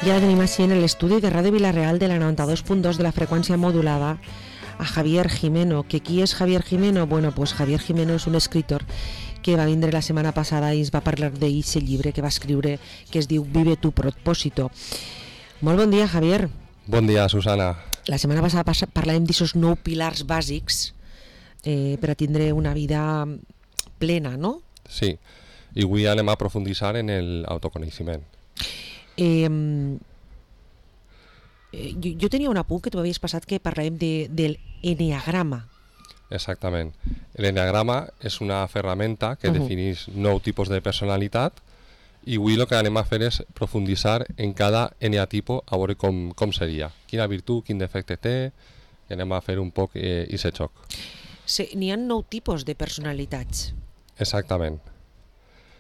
I ara tenim així en l'estudi de Ràdio Vila-real de la 92.2 de la freqüència modulada a Javier Jimeno. Que qui és Javier Jimeno? Bueno, pues Javier Jimeno és un escritor que va vindre la setmana passada i ens va parlar d'aquest llibre que va escriure, que es diu Vive tu propósito. Molt bon dia, Javier. Bon dia, Susana. La setmana passada parlàvem d'aquests 9 pilars bàsics per a tindre una vida plena, no? Sí, i avui anem a aprofunditzar en l'autoconeixement. Jo tenia un apunt que tu havies passat que parlàvem del enneagrama. Exactament. L'enneagrama és una ferramenta que defineix 9 tipus de personalitat i avui el que anem a fer és profunditzar en cada eneatipo a veure com seria. Quina virtut, quin defecte té, i anem a fer un poc aquest xoc. Sí, n'hi ha 9 tipus de personalitats. Exactament.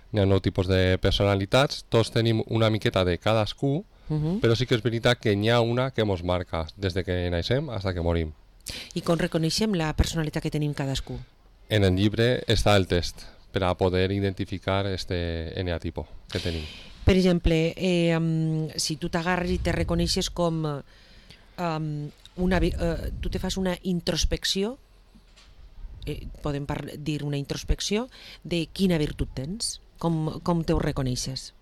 N'hi ha 9 tipus de personalitats, tots tenim una miqueta de cadascú, però sí que és veritat que n'hi ha una que ens marca des de que naixem fins que morim. I com reconeixem la personalitat que tenim cadascú? En el llibre està el test per a poder identificar este eneatipo que tenim. Per exemple, si tu t'agarres i te reconeixes com tu te fas una introspecció, podem dir una introspecció de quina virtut tens, com te ho reconeixes?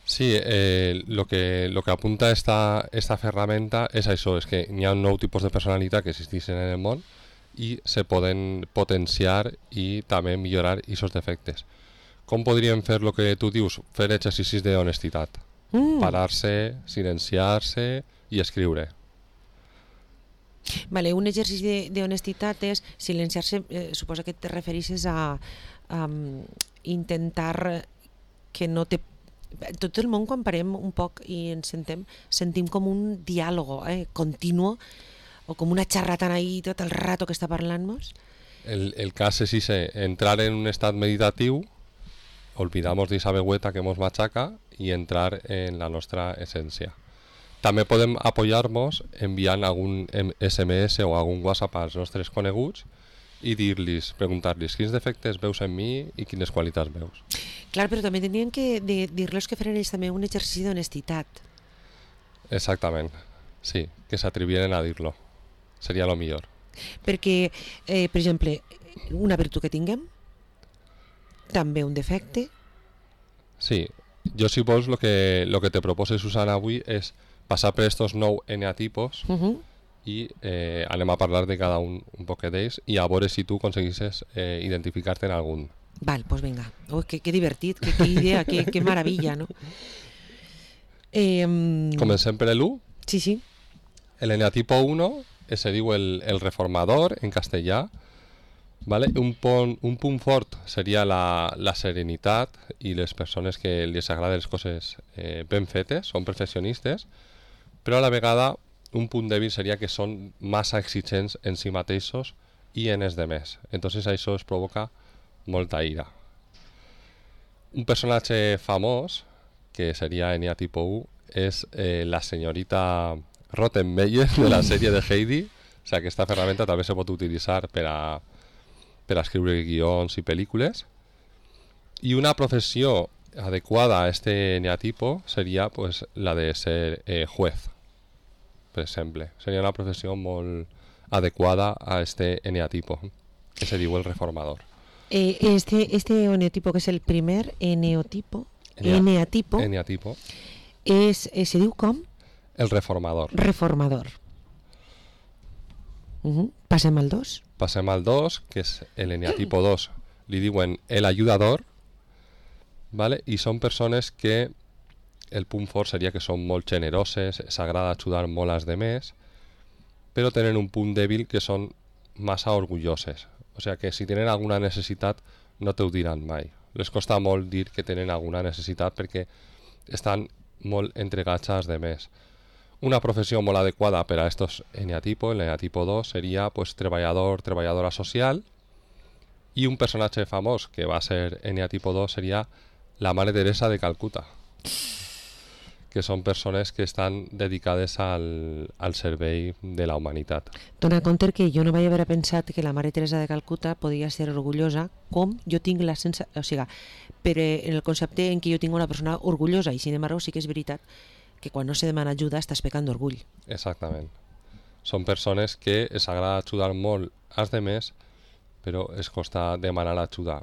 Sí, lo que apunta esta ferramenta és això, és que hi ha 9 tipus de personalitat que existeixen en el món i se poden potenciar i també millorar aquests defectes. Com podríem fer el que tu dius? Fer exercicis d'honestitat. Parar-se, silenciar-se i escriure. Vale, un exercici d'honestitat és silenciar-se, suposa que te refereixes a intentar que no te... Tot el món, quan parem un poc i ens sentim com un diàleg continu o com una xarratana ahí tot el rato que està parlant-nos. El cas és entrar en un estat meditatiu, olvidamos de esa vegüeta que ens machaca i entrar en la nostra essència. També podem apoyar-nos enviant algun SMS o algun WhatsApp als nostres coneguts i preguntar-los quins defectes veus en mi i quines qualitats veus. Clar, però també tenien que dir-los que feren ells també un exercici d'honestitat. Exactament, sí, que s'atreviren a dir-lo. Seria el millor. Perquè, per exemple, una virtut que tinguem, també un defecte. Sí, jo si vols el que te propose, Susana, avui és passar per estos 9 eneatipos i anem a parlar de cada un poc d'ells i a veure si tu aconseguisses identificar-te en algun. Val, doncs vinga. Que divertit, que idea, que meravella, no? Comencem per l'1? Sí. L'eneatipo 1 se diu el reformador en castellà. Vale? Un punt fort seria la serenitat i les persones que els agraden les coses ben fetes, són perfeccionistes, però a la vegada un punt dèbil seria que són massa exigents en si mateixos i en els demés. Entonces això es provoca molta ira. Un personatge famós, que seria eneatipo 1, és la senyorita Rottenmeier de la sèrie de Heidi. O sigui, aquesta ferramenta també se pot utilitzar per a escriure guions i pel·lícules. I una professió adequada a este eneatipo seria pues, la de ser juez, per exemple. Seria una professió molt adequada a este eneatipo, que se diu el reformador. Este eneatipo, que és el primer eneatipo, se diu com? El reformador. Reformador. Passem al 2. Passem al 2, que és l'eneatipo 2. Li diuen el ayudador, ¿vale? I són persones que el punt fort seria que són molt generoses, s'agrada ajudar molt als demés, però tenen un punt dèbil que són massa orgulloses. O sigui que si tenen alguna necessitat no t'ho diran mai. Les costa molt dir que tenen alguna necessitat perquè estan molt entregats als demés. Una professió molt adequada per a estos eneatipos, l'eneatipo 2, seria pues, treballadora social, i un personatge famós que va ser eneatipo 2 seria la Mare Teresa de Calcuta, que són persones que estan dedicades al servei de la humanitat. Dona compte que jo no vaig haver pensat que la Mare Teresa de Calcuta podia ser orgullosa com jo tinc la sensació, o sigui, però en el concepte en què jo tinc una persona orgullosa, i sin embargo sí que és veritat que quan no se demana ajuda estàs pecant d'orgull. Exactament. Són persones que es agrada ajudar molt als demés, però es costa demanar ajuda.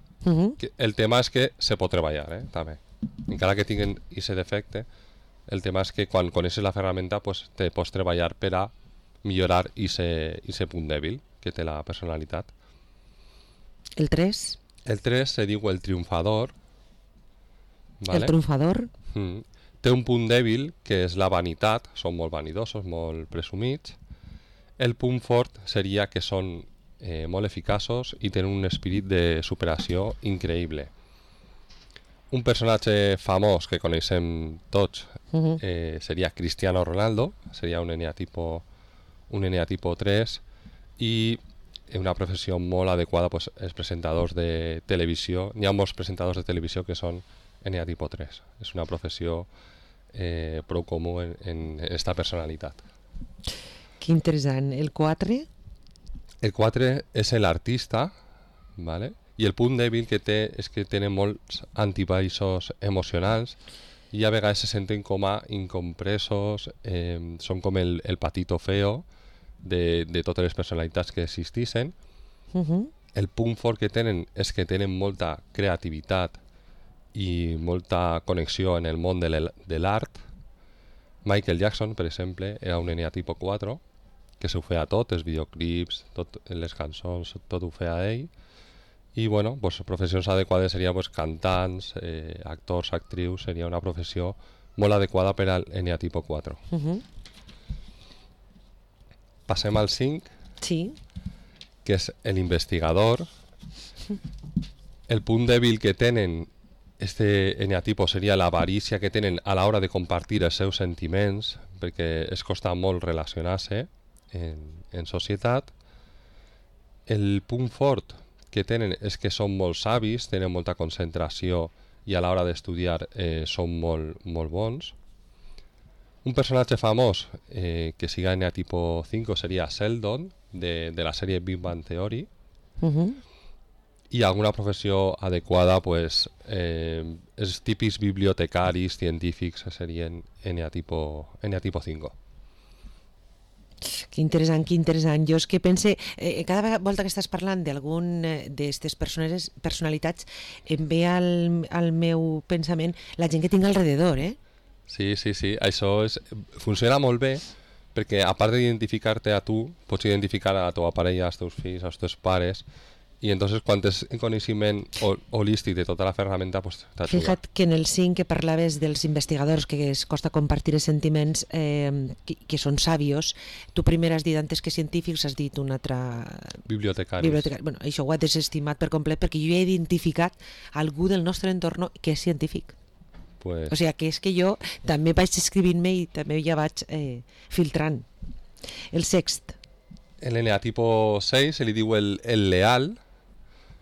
El tema és que se pot treballar, també. Encara que tinguin aquest defecte, el tema és que quan coneixes la ferramenta pues, te pots treballar per a millorar aquest punt dèbil que té la personalitat. El 3? El 3 se diu el triomfador. ¿vale? El triomfador? Té un punt dèbil que és la vanitat, són molt vanidosos, molt presumits. El punt fort seria que són molt eficaços i tenen un espírit de superació increïble. Un personatge famós que coneixem tots seria Cristiano Ronaldo, seria un eneatipo 3, i una professió molt adequada pues, els presentadors de televisió. N'hi ha molts presentadors de televisió que són eneatipo 3. És una professió prou comú en esta personalitat. Que interessant. El 4? El 4 és l'artista, ¿vale? I el punt dèbil que té és que tenen molts antibaixos emocionals i a vegades se senten com a incompresos, són com el patito feo de totes les personalitats que existissin. El punt fort que tenen és que tenen molta creativitat i molta connexió en el món de l'art. Michael Jackson, per exemple, era un eneatipo 4, que s'ho feia tot, els videoclips, les cançons, tot ho feia ell. I bueno, pues, professions adequades seria pues, cantants, actors, actrius, seria una professió molt adequada per al eneatipo 4. Passem al 5, sí. Que és l'investigador. El punt dèbil que tenen este eneatipo seria l'avarícia que tenen a l'hora de compartir els seus sentiments, perquè es costa molt relacionar-se en societat. El punt fort que tenen és que són molt savis, tenen molta concentració i a l'hora d'estudiar són molt bons. Un personatge famós que siga eneatipo 5 seria Sheldon, de la sèrie Big Bang Theory. I alguna professió adequada, pues, els típics bibliotecaris, científics, serien eneatipo 5. Que interessant, que interessant. Jo és que pense, cada volta que estàs parlant d'algun d'aquestes personalitats, em ve al meu pensament la gent que tinc alrededor, Sí. Això funciona molt bé, perquè a part d'identificar-te a tu, pots identificar a la teva parella, als teus fills, als teus pares, i entonces quan tens coneixement holístic de tota la ferramenta, pues, t'ajuda. Fija't que en el 5 que parlaves dels investigadors que es costa compartir els sentiments que són sàvios, tu primer has dit antes que científics, has dit un altre... Bibliotecaris. Bueno, això ho he desestimat per complet perquè jo he identificat algú del nostre entorn que és científic. Pues... O sigui, que és que jo també vaig escrivint-me i també ja vaig filtrant. El sext. L'eneatipo 6 se li diu el leal.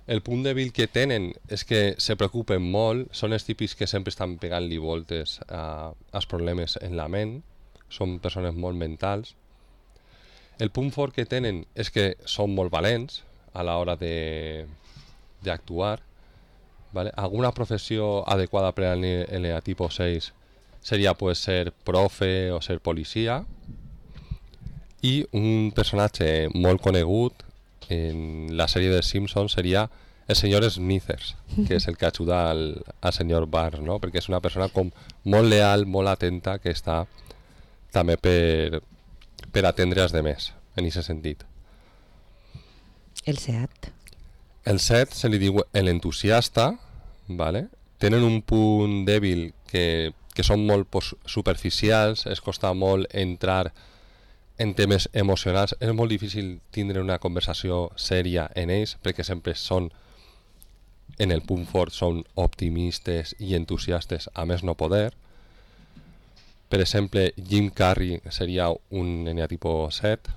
El punt dèbil que tenen és que se preocupen molt, són els típics que sempre estan pegant-li voltes als problemes en la ment, són persones molt mentals. El punt fort que tenen és que són molt valents a l'hora d'actuar. ¿Vale? Alguna professió adequada per al eneatipo 6 seria pues, ser profe o ser policia. I un personatge molt conegut en la sèrie de Simpsons seria el senyor Smithers, que és el que ajuda al senyor Barnes, no? Perquè és una persona com molt leal, molt atenta, que està també per atendre els demés, en aquest sentit. El 7. El 7 se li diu l'entusiasta, ¿vale? Tenen un punt dèbil que són molt superficials, es costa molt entrar en temes emocionals, és molt difícil tindre una conversació sèria en ells, perquè sempre són, en el punt fort, són optimistes i entusiastes a més no poder. Per exemple, Jim Carrey seria un eneatipo 7,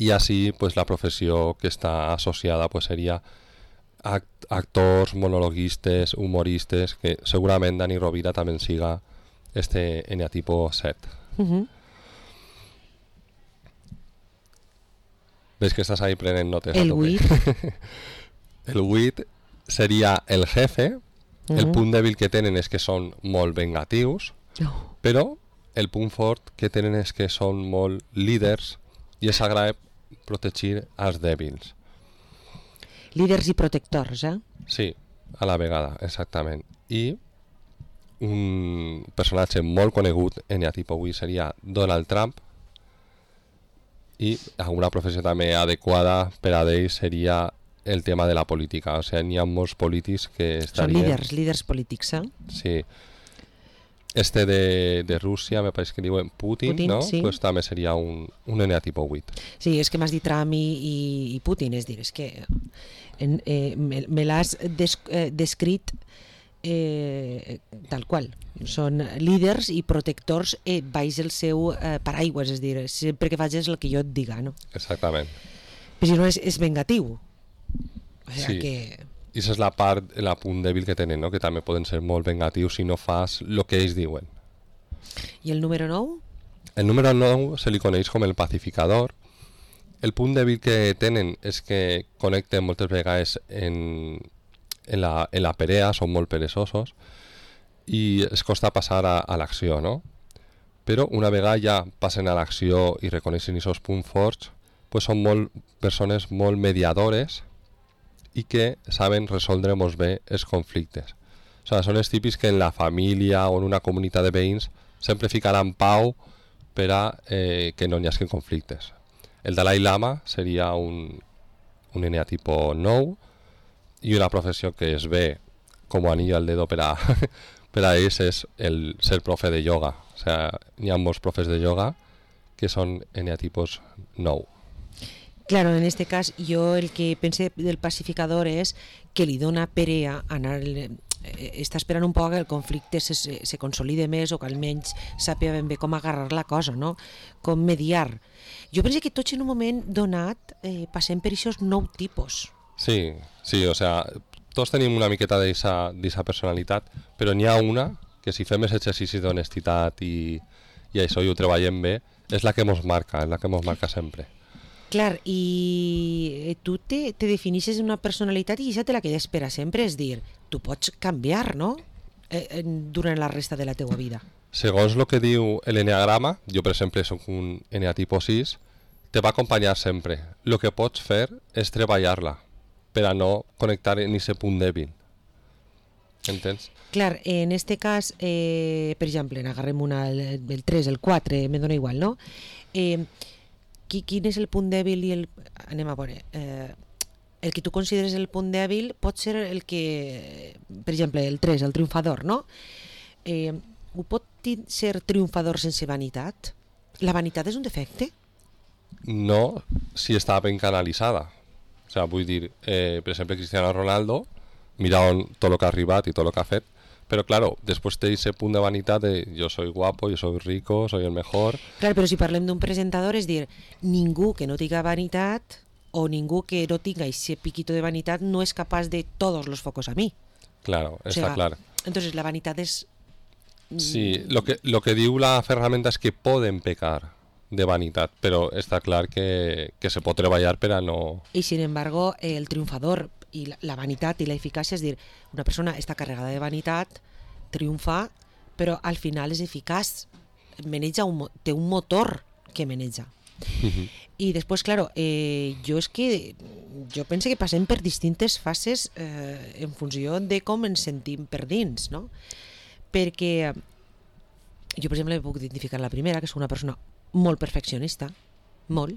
i així pues, la professió que està associada pues, seria actors, monologuistes, humoristes, que segurament Dani Rovira també siga este eneatipo 7. Ves que estàs ahí prenent notes. El 8. El 8 seria el jefe. El punt dèbil que tenen és que són molt vengatius, però el punt fort que tenen és que són molt líders i és agrada protegir els dèbils. Líders i protectors, eh? Sí, a la vegada, exactament. I un personatge molt conegut en tipus avui seria Donald Trump, i alguna professió també adequada per a ell seria el tema de la política. O sigui, n'hi ha molts polítics que estarien... Són líders polítics, eh? Sí. De Rússia, me pareix que diuen Putin, no? Sí. Pues també seria un N tipus 8. Sí, és que m'has dit Trump i Putin, és dir, és que me l'has descrit tal qual. Són líders i protectors baix el seu paraigües, és dir, sempre que facis el que jo et diga, no? Exactament. Però si no és vengatiu. O sigui Sí. que... I això és la part, el punt dèbil que tenen, no? Que també poden ser molt vengatius si no fas el que ells diuen. I el número 9? El número 9 se li coneix com el pacificador. El punt dèbil que tenen és que connecten moltes vegades en la perea, són molt peresosos i es costa passar a l'acció, no? Però una vegada ja passen a l'acció i reconeixen aquests punts forts, pues són persones molt mediadores i que saben resoldre molt bé els conflictes. O sigui, són els típics que en la família o en una comunitat de veïns sempre ficaran pau per a que no n'hi hagi conflictes. El Dalai Lama seria un N tipus 9 i una professió que es ve com anillo al dedo per a ells és el ser profe de yoga. O sigui, n'hi ha molts profes de yoga que són N tipus 9. Claro, en este cas jo el que pense del pacificador és que li dona perea anar... està esperant un poc que el conflicte se consolide més o que almenys sàpiga ben bé com agarrar la cosa, no? Com mediar. Jo penso que tots en un moment donat passem per aquests 9 tipus. Sí, o sigui, tots tenim una miqueta d'aquesta personalitat, però n'hi ha una que si fem els exercicis d'honestitat i això i ho treballem bé, és la que ens marca sempre. Clar, i tu te definixes una personalitat i aquesta te la quedes per a sempre, és dir, tu pots canviar, no?, durant la resta de la teua vida. Segons el que diu l'enneagrama, jo per exemple soc un N tipus 6, te va acompanyar sempre. El que pots fer és treballar-la per a no connectar en aquest punt dèbil. Entens? Clar, en este cas, per exemple, agarrem el 3, el 4, me dona igual, no? Quin és el punt dèbil i el... Anem a veure. El que tu consideres el punt dèbil pot ser el que... Per exemple, el 3, el triomfador, no? Ho pot ser triomfador sense vanitat? La vanitat és un defecte? No, si està ben canalitzada. O sigui, vull dir, per exemple, Cristiano Ronaldo, mira tot el que ha arribat i tot el que ha fet, pero claro, después te dice punt de vanitat de yo soy guapo, yo soy rico, soy el mejor. Clar, però si parlem d'un presentador, és dir, ningú que no tinga vanitat o ningú que no tinga ese piquito de vanitat no és capaç de todos los focos a mí. Claro, está claro. Entonces la vanitat és... Sí, lo que diu la ferramenta és que poden pecar de vanitat, però està clar que se pot treballar per a no... I sin embargo, el triomfador i la vanitat i la eficàcia, és dir, una persona està carregada de vanitat, triomfa, però al final és eficaç, té un motor que maneja. I després, claro, jo penso que passem per distintes fases en funció de com ens sentim per dins, no? Perquè jo, per exemple, puc identificar la primera, que és una persona molt perfeccionista, molt,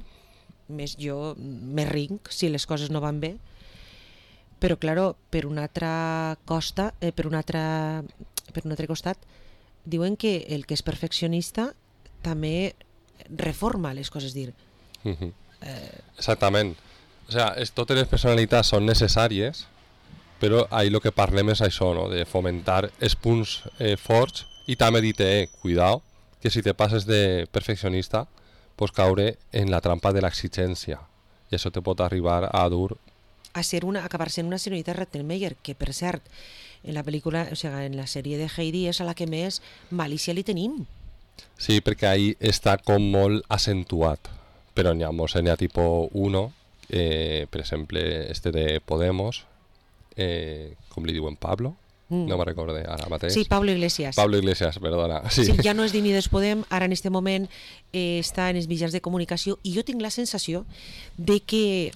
més jo me rinc si les coses no van bé, però, claro, per un altre costat, diuen que el que és perfeccionista també reforma les coses, dir. Exactament. O sigui, totes les personalitats són necessàries, però ahí el que parlem és això, no? De fomentar els punts forts i també dir-te, cuidao, que si te passes de perfeccionista pots caure en la trampa de l'exigència i això te pot arribar a dur acabar sent una senyorita Rattenmeier, que per cert, en la pel·lícula, o sigui, en la sèrie de Heidi és a la que més malícia li tenim. Sí, perquè ahí està com molt acentuat, però n'hi ha molts N tipus 1, per exemple, de Podemos, com li diuen, Pablo, No me recordé ara mateix. Sí, Pablo Iglesias. Pablo Iglesias, perdona. Sí, sí, ja no és d'Unides Podem, ara en este moment està en els mitjans de comunicació i jo tinc la sensació de que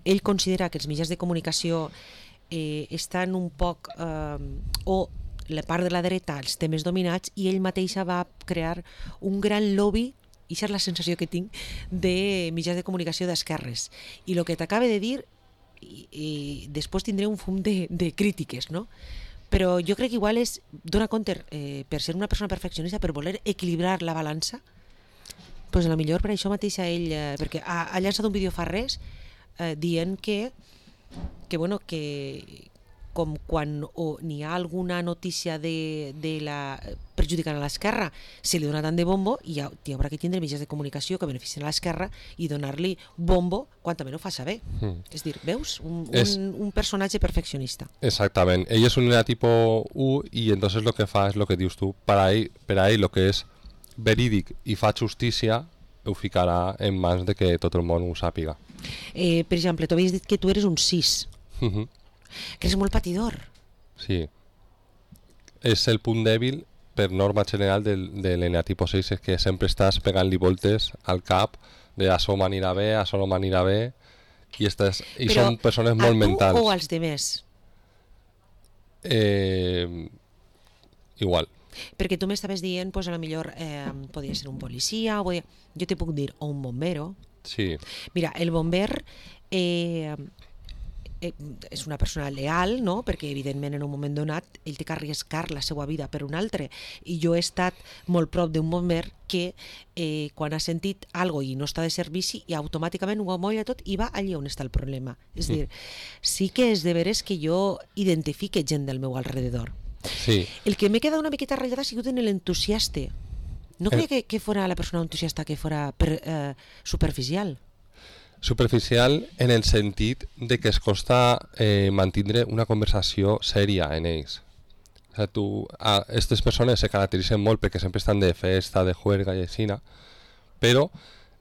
ell considera que els mitjans de comunicació estan un poc o la part de la dreta els té més dominats i ell mateixa va crear un gran lobby, i això és la sensació que tinc, de mitjans de comunicació d'esquerres. I el que t'acabe de dir, i després tindré un fum de crítiques, no? Però jo crec que igual és, dona compte, per ser una persona perfeccionista, per voler equilibrar la balança, doncs a la millor per això mateix ell, perquè ha llançat un vídeo fa res dient que bueno, que com quan n'hi ha alguna notícia de la perjudicant a l'esquerra se li dona tant de bombo i hi haurà que tindre mitjans de comunicació que beneficien a l'esquerra i donar-li bombo quan també no fa saber. És dir, veus? Un personatge perfeccionista. Exactament. Ell és un tipo 1 i entonces lo que fa és lo que dius tu. Per a ell lo que és verídic i fa justícia ho ficarà en mans de que tot el món ho sàpiga. Per exemple, tu havies dit que tu eres un 6. Que eres molt patidor. Sí. És el punt dèbil per norma general de l'eneatipo 6, és que sempre estàs pegant-li voltes al cap de això m'anirà bé, això no m'anirà bé i són persones molt mentals. Però a tu o als demés? Igual. Perquè tu m'estaves dient, pues a la millor podria ser un policia, jo te puc dir, o un bombero. Sí. Mira, el bomber és una persona leal, no? Perquè evidentment en un moment donat ell té que arriscar la seva vida per un altre, i jo he estat molt prop d'un bomber que quan ha sentit algo i no està de servici i automàticament ho amolla tot i va allà on està el problema. És dir, sí que és de veres que jo identifique gent del meu alrededor. Sí. El que m'he quedat una miqueta ratllada ha sigut en l'entusiasta. No creia que fora la persona entusiasta que fora superficial. Superficial en el sentit de que es costa mantindre una conversació sèria en ells. O sigui, aquestes persones se caracteritzen molt perquè sempre estan de festa, de juerga i així, però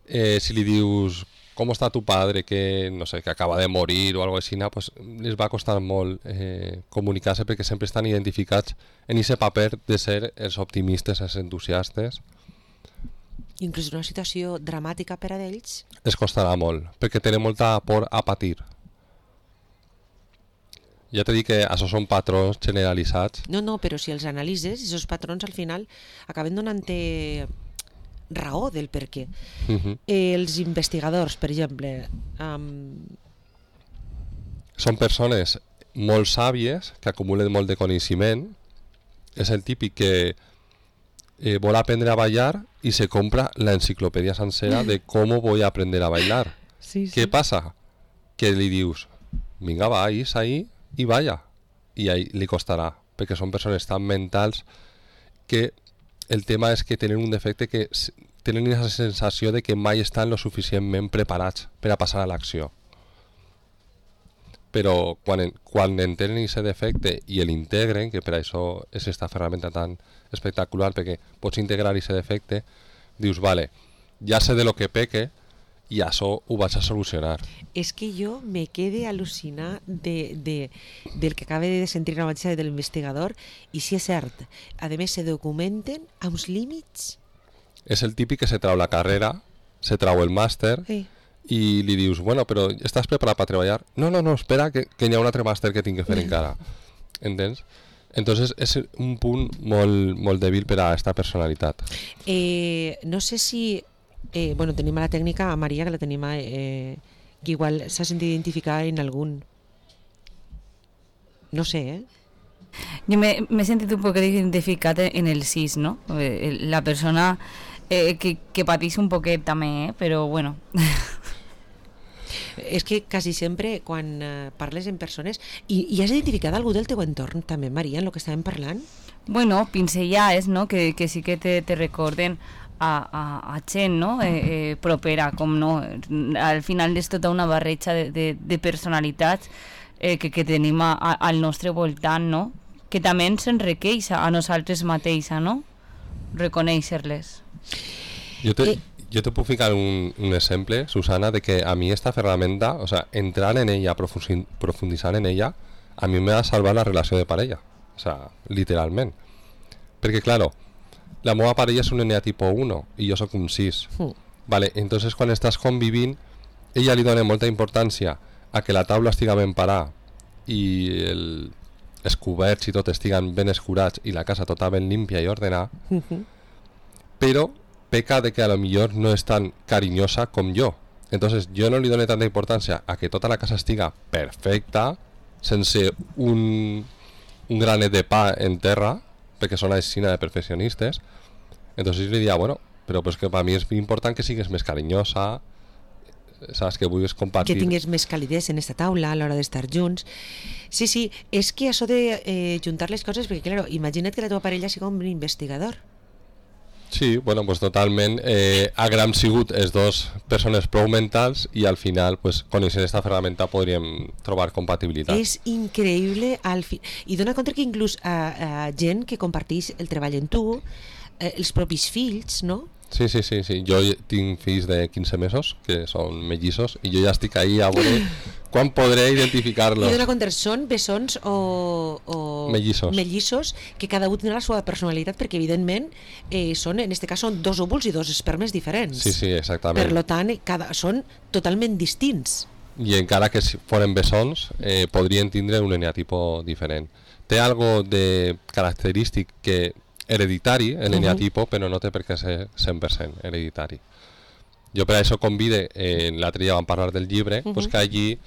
si li dius com està tu padre que no sé, que acaba de morir o algo així, pues les va costar molt comunicar-se perquè sempre estan identificats en aquest paper de ser els optimistes, els entusiastes. Inclús una situació dramàtica per a ells es costarà molt, perquè tenen molta por a patir. Ja t'he dit que això són patrons generalitzats. No, però si els analitzes, aquests patrons al final acaben donant-te raó del per què. Els investigadors, per exemple, són persones molt sàvies que acumulen molt de coneixement. És el típic que vol aprendre a bailar y se compra la enciclopedia sencera de cómo voy a aprender a bailar. Sí. ¿Qué pasa? Que li dius, vinga, va, ahí y vaya. Y ahí li costarà, perquè són persones tan mentals que el tema és que tenen un defecte que tenen la sensació de que mai estan lo suficientment preparats per a passar a l'acció. Però quan entenen aquest defecte i l'integren, que per això és aquesta ferramenta tan espectacular, perquè pots integrar aquest defecte, dius, vale, ja sé de lo que peque i això ho vaig a solucionar. És que jo me quede al·lucinar del que acaba de sentir la mateixa de l'investigador, i si és cert, a més se documenten amb els límits. És el típic que se trau la carrera, se trau el màster, Sí. I li dius, bueno, però estàs preparat per treballar? No, espera, que hi ha un altre màster que tinc que fer encara. Entens? Entonces és un punt molt dèbil per a aquesta personalitat. No sé si... bueno, tenim a la tècnica a Maria, que la tenim que igual s'ha sentit identificar en algun... No sé, Jo m'he sentit un poc identificat en el 6, no? La persona que pateix un poquet també, però bueno... És que quasi sempre quan parles en persones i has identificat algú del teu entorn també, Maria, en el que estàvem parlant? Bueno, pinzellades, no? Que sí que te recorden a gent, no? Propera, com no. Al final és tota una barreja de personalitats que tenim al nostre voltant, no? Que també ens enriqueix a nosaltres mateixa, no? Reconèixer-les. Jo te puc ficar un exemple, Susana, de que a mi esta ferramenta, o sea, entrar en ella, profundizar en ella, a mi me va salvar la relació de parella. o sea, literalment. Perquè, claro, la meva parella és un nena tipo 1 i jo sóc un 6. Vale, entonces quan estàs convivint, ella li dona molta importància a que la taula estiga ben parada i els coberts i tot estiguen ben escurats i la casa tota ben límpia i ordenada, però peca de que a lo millor no és tan carinyosa com jo. Entonces jo no li dono tanta importància a que tota la casa estiga perfecta, sense un granet de pa en terra, perquè són així de perfeccionistes. Entonces li diria, bueno, però pues que per mi és important que sigues més carinyosa, saps, que vulguis compartir, que tingues més calidesa en esta taula a l'hora d'estar junts. Sí, és que això de juntar les coses, perquè claro, imagina't que la teva parella sigui un investigador. Sí, bueno, pues totalment haguem sigut els dos persones prou mentals i al final, pues, coneixent esta ferramenta podríem trobar compatibilitat. És increïble i dona compte que inclús a gent que comparteix el treball en tu, els propis fills, no? Sí. Jo tinc fills de 15 mesos que són mellissos i jo ja estic ahí a veure quan podré identificar-los. I dona compte, són bessons o mellissos que cada un tindrà la seva personalitat, perquè evidentment són, en este cas són dos òvuls i dos espermes diferents. Sí, exactament. Per tant, són totalment distints. I encara que foren bessons podrien tindre un eneatipo diferent. Té algo de característic que hereditari, el eneatipo, però no té per què ser 100% hereditari. Jo per això convide, l'altre dia vam parlar del llibre, pues que allí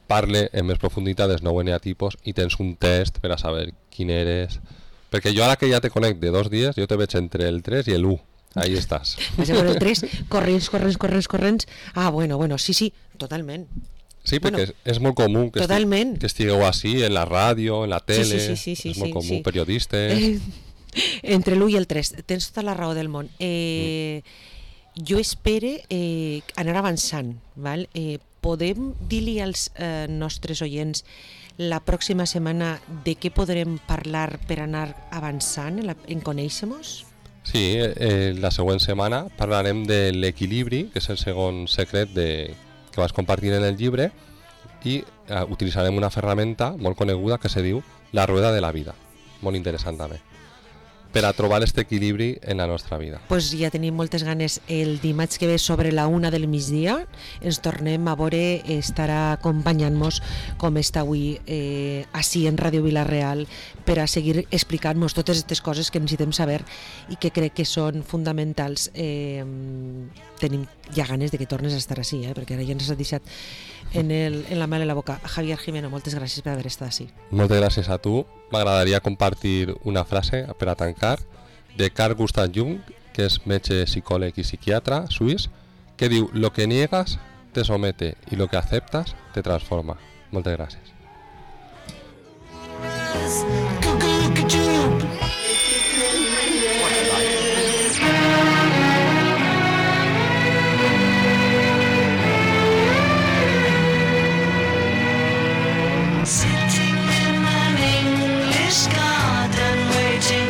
parle en més profunditat dels 9 eneatipos i tens un test per a saber quin eres. Perquè jo ara que ja te conec de 2 dies, jo te veig entre el 3 i el 1. Ahí estàs. Vas a veure el 3, corrents. Ah, bueno, sí, totalment. Sí, perquè és molt comú que estigueu així, en la ràdio, en la tele, sí, és molt comú, periodistes... Entre l'1 i el 3, tens tota la raó del món. Jo espere anar avançant, val? Podem dir-li als nostres oients la pròxima setmana de què podrem parlar per anar avançant en conèixer-nos? Sí, la següent setmana parlarem de l'equilibri, que és el segon secret que vas compartir en el llibre, i utilitzarem una ferramenta molt coneguda que se diu la rueda de la vida, molt interessant també, per a trobar aquest equilibri en la nostra vida. Pues ja tenim moltes ganes. El dimarts que ve sobre la 1 del migdia ens tornem a veure, estarà acompanyant-nos com està avui així en Ràdio Vila-real per a seguir explicant-nos totes aquestes coses que necessitem saber i que crec que són fonamentals. Tenim ja ganes de que tornes a estar així, perquè ara ja ens has deixat en la mel en la boca. Javier Jimeno, moltes gràcies per haver estat així. Moltes gràcies a tu. M'agradaria compartir una frase per a tancar de Carl Gustav Jung, que és metge, psicòleg i psiquiatre suís, que diu: lo que niegas te somete y lo que aceptas te transforma. Moltes gràcies.